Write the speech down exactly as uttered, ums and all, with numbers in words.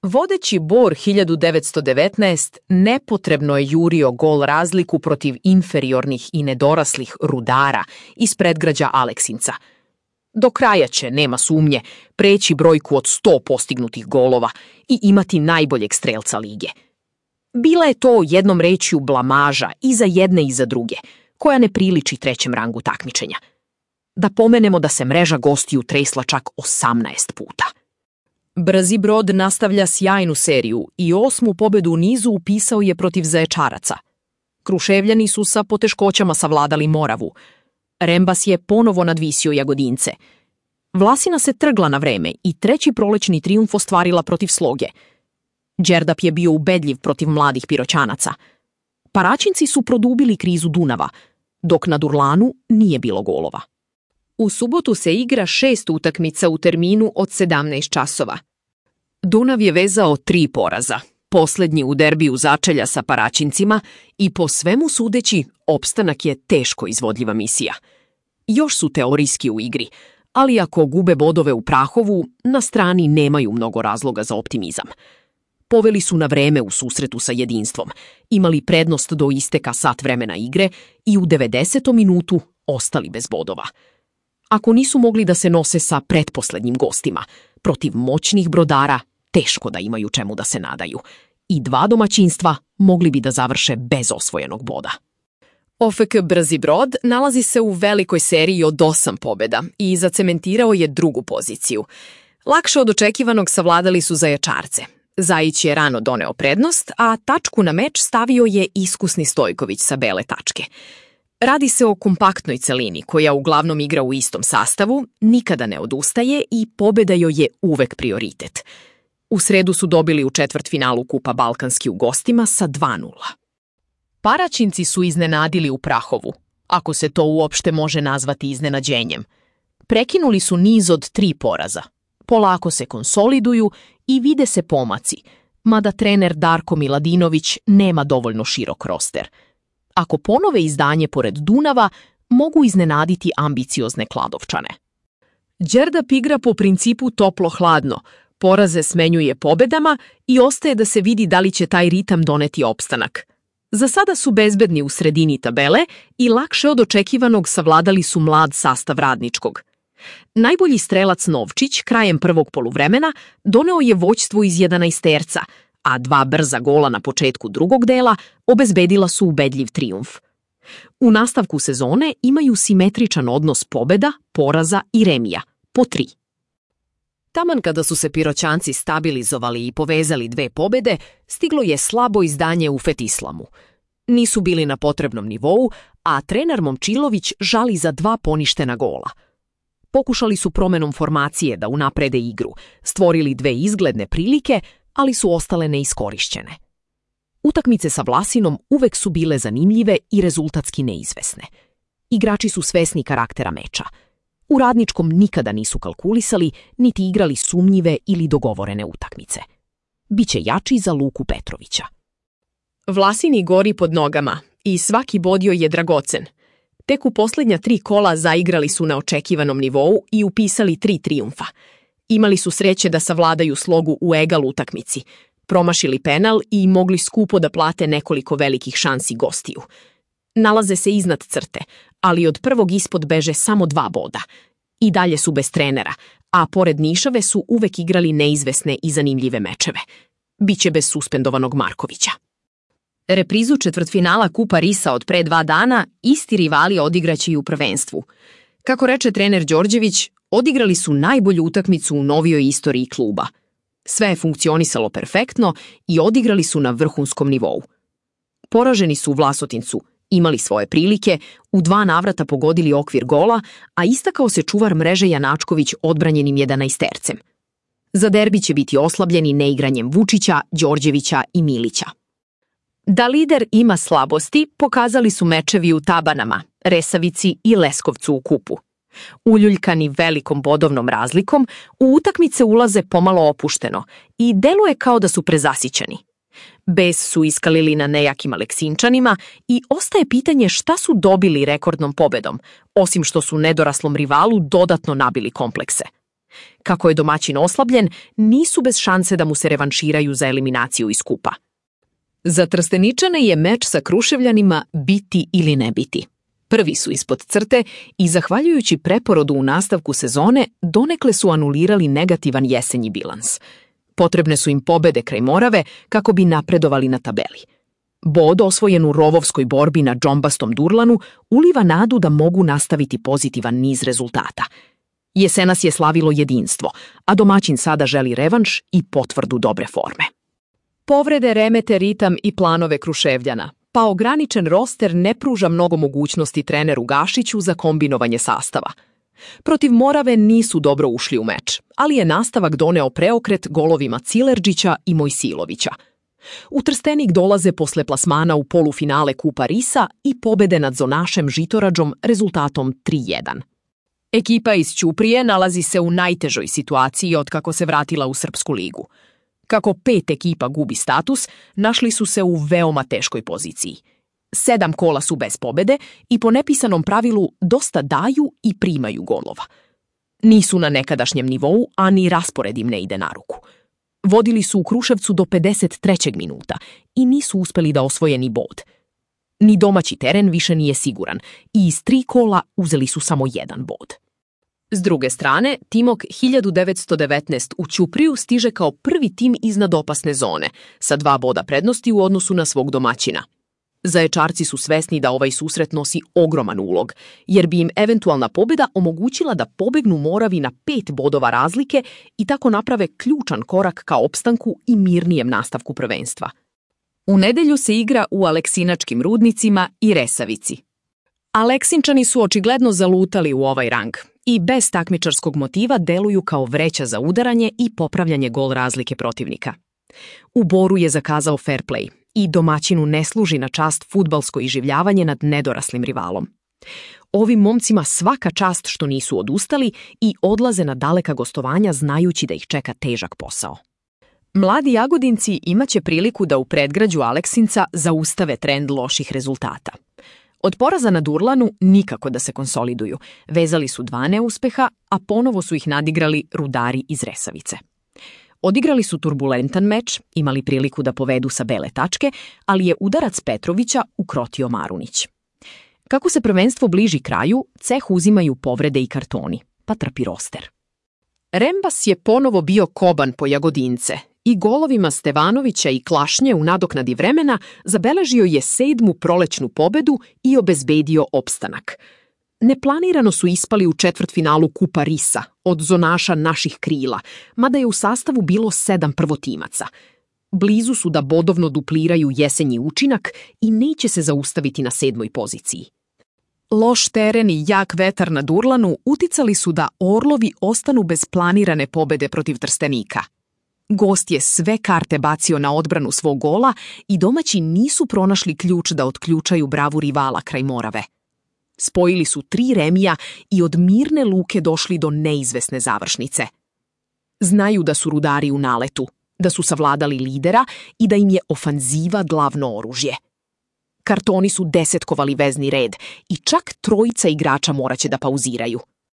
Vodeći Bor hiljadu devetsto devetnaest nepotrebno je jurio gol razliku protiv inferiornih i nedoraslih Rudara iz predgrađa Aleksinca. Do kraja će, nema sumnje, preći brojku od sto postignutih golova i imati najboljeg strelca lige. Bila je to jednom rečju blamaža i za jedne i za druge, koja ne priliči trećem rangu takmičenja. Da pomenemo da se mreža gostiju tresla čak osamnaest puta. Brzi brod nastavlja sjajnu seriju i osmu pobedu u nizu upisao je protiv Zaječaraca. Kruševljani su sa poteškoćama savladali Moravu. Rembas je ponovo nadvisio Jagodince. Vlasina se trgla na vreme i treći prolećni trijumf ostvarila protiv Sloge. Đerdap je bio ubedljiv protiv mladih Piroćanaca. Paraćinci su produbili krizu Dunava, dok na Durlanu nije bilo golova. U subotu se igra šest utakmica u terminu od sedamnaest časova. Dunav je vezao tri poraza, poslednji u derbiju začelja sa Paraćincima i po svemu sudeći opstanak je teško izvodljiva misija. Još su teorijski u igri, ali ako gube bodove u Prahovu, na strani nemaju mnogo razloga za optimizam. Poveli su na vreme u susretu sa Jedinstvom, imali prednost do isteka sat vremena igre i u devedesetom minutu ostali bez bodova. Ako nisu mogli da se nose sa pretposlednjim gostima, protiv moćnih Brodara teško da imaju čemu da se nadaju. I dva domaćinstva mogli bi da završe bez osvojenog boda. O F K Brzi brod nalazi se u velikoj seriji od osam pobjeda i zacementirao je drugu poziciju. Lakše od očekivanog savladali su Zaječarce. Zajić je rano doneo prednost, a tačku na meč stavio je iskusni Stojković sa bele tačke. Radi se o kompaktnoj celini koja uglavnom igra u istom sastavu, nikada ne odustaje i pobjeda joj je uvek prioritet. U sredu su dobili u četvrtfinalu Kupa Balkanski u gostima sa dva nula. Paraćinci su iznenadili u Prahovu, ako se to uopšte može nazvati iznenađenjem. Prekinuli su niz od tri poraza. Polako se konsoliduju i vide se pomaci, mada trener Darko Miladinović nema dovoljno širok roster. Ako ponove izdanje pored Dunava, mogu iznenaditi ambiciozne Kladovčane. Đerdap igra po principu toplo-hladno, poraze smenjuje pobedama i ostaje da se vidi da li će taj ritam doneti opstanak. Za sada su bezbedni u sredini tabele i lakše od očekivanog savladali su mlad sastav Radničkog. Najbolji strelac Novčić krajem prvog poluvremena doneo je vođstvo iz jedanaesterca, a dva brza gola na početku drugog dela obezbedila su ubedljiv trijumf. U nastavku sezone imaju simetričan odnos pobeda, poraza i remija, po tri. Taman kada su se Piroćanci stabilizovali i povezali dve pobede, stiglo je slabo izdanje u Fetislamu. Nisu bili na potrebnom nivou, a trener Momčilović žali za dva poništena gola. Pokušali su promenom formacije da unaprede igru, stvorili dve izgledne prilike, ali su ostale neiskorišćene. Utakmice sa Vlasinom uvek su bile zanimljive i rezultatski neizvesne. Igrači su svesni karaktera meča. U Radničkom nikada nisu kalkulisali, niti igrali sumnjive ili dogovorene utakmice. Biće jači za Luku Petrovića. Vlasini gori pod nogama i svaki bodio je dragocen. Tek u posljednja tri kola zaigrali su na očekivanom nivou i upisali tri trijumfa. Imali su sreće da savladaju Slogu u egal utakmici, promašili penal i mogli skupo da plate nekoliko velikih šansi gostiju. Nalaze se iznad crte, ali od prvog ispod beže samo dva boda. I dalje su bez trenera, a pored Nišave su uvek igrali neizvesne i zanimljive mečeve. Biće bez suspendovanog Markovića. Reprizu četvrtfinala Kupa Risa od pre dva dana isti rivali odigraće i u prvenstvu. Kako reče trener Đorđević, odigrali su najbolju utakmicu u novijoj istoriji kluba. Sve je funkcionisalo perfektno i odigrali su na vrhunskom nivou. Poraženi su u Vlasotincu, imali svoje prilike, u dva navrata pogodili okvir gola, a istakao se čuvar mreže Janačković odbranjenim jedanaestercem. Za derbi će biti oslabljeni neigranjem Vučića, Đorđevića i Milića. Da lider ima slabosti, pokazali su mečevi u Tabanama, Resavici i Leskovcu u kupu. Uljuljkani velikom bodovnom razlikom, u utakmice ulaze pomalo opušteno i deluje kao da su prezasićeni. Bes su iskalili na nejakim Aleksinčanima i ostaje pitanje šta su dobili rekordnom pobedom, osim što su nedoraslom rivalu dodatno nabili komplekse. Kako je domaćin oslabljen, nisu bez šanse da mu se revanširaju za eliminaciju iz kupa. Za Trsteničane je meč sa Kruševljanima biti ili ne biti. Prvi su ispod crte i, zahvaljujući preporodu u nastavku sezone, donekle su anulirali negativan jesenji bilans. Potrebne su im pobede kraj Morave kako bi napredovali na tabeli. Bod osvojen u rovovskoj borbi na džombastom Durlanu uliva nadu da mogu nastaviti pozitivan niz rezultata. Jesenas je slavilo jedinstvo, a domaćin sada želi revanš i potvrdu dobre forme. Povrede remete ritam i planove Kruševljana, pa ograničen roster ne pruža mnogo mogućnosti treneru Gašiću za kombinovanje sastava. Protiv Morave nisu dobro ušli u meč, ali je nastavak doneo preokret golovima Cilerđića i Mojsilovića. U Trstenik dolaze posle plasmana u polufinale Kupa Risa i pobede nad zonašem Žitorađom rezultatom tri jedan. Ekipa iz Ćuprije nalazi se u najtežoj situaciji otkako se vratila u Srpsku ligu. Kako pet ekipa gubi status, našli su se u veoma teškoj poziciji. Sedam kola su bez pobede i po nepisanom pravilu dosta daju i primaju golova. Nisu na nekadašnjem nivou, a ni raspored im ne ide na ruku. Vodili su u Kruševcu do pedeset trećeg minuta i nisu uspeli da osvoje ni bod. Ni domaći teren više nije siguran i iz tri kola uzeli su samo jedan bod. S druge strane, Timok hiljadu devetsto devetnaest u Ćupriju stiže kao prvi tim iznad opasne zone, sa dva boda prednosti u odnosu na svog domaćina. Zaječarci su svesni da ovaj susret nosi ogroman ulog, jer bi im eventualna pobjeda omogućila da pobegnu Moravi na pet bodova razlike i tako naprave ključan korak ka opstanku i mirnijem nastavku prvenstva. U nedelju se igra u Aleksinačkim Rudnicima i Resavici. Aleksinčani su očigledno zalutali u ovaj rang i bez takmičarskog motiva deluju kao vreća za udaranje i popravljanje gol razlike protivnika. U Boru je zakazao fair play i domaćinu ne služi na čast fudbalsko iživljavanje nad nedoraslim rivalom. Ovim momcima svaka čast što nisu odustali i odlaze na daleka gostovanja znajući da ih čeka težak posao. Mladi Jagodinci imaće priliku da u predgrađu Aleksinca zaustave trend loših rezultata. Od poraza na Durlanu nikako da se konsoliduju, vezali su dva neuspeha, a ponovo su ih nadigrali Rudari iz Resavice. Odigrali su turbulentan meč, imali priliku da povedu sa bele tačke, ali je udarac Petrovića ukrotio Marunić. Kako se prvenstvo bliži kraju, ceh uzimaju povrede i kartoni, pa trpi roster. Rembas je ponovo bio koban po Jagodince i golovima Stevanovića i Klašnje u nadoknadi vremena zabeležio je sedmu prolećnu pobedu i obezbedio opstanak. Neplanirano su ispali u četvrtfinalu Kupa Risa od zonaša naših krila, mada je u sastavu bilo sedam prvotimaca. Blizu su da bodovno dupliraju jesenji učinak i neće se zaustaviti na sedmoj poziciji. Loš teren i jak vetar na Durlanu uticali su da Orlovi ostanu bez planirane pobede protiv Trstenika. Gost je sve karte bacio na odbranu svog gola i domaći nisu pronašli ključ da otključaju bravu rivala kraj Morave. Spojili su tri remija i od mirne luke došli do neizvesne završnice. Znaju da su Rudari u naletu, da su savladali lidera i da im je ofanziva glavno oružje. Kartoni su desetkovali vezni red i čak trojica igrača moraće da pauziraju.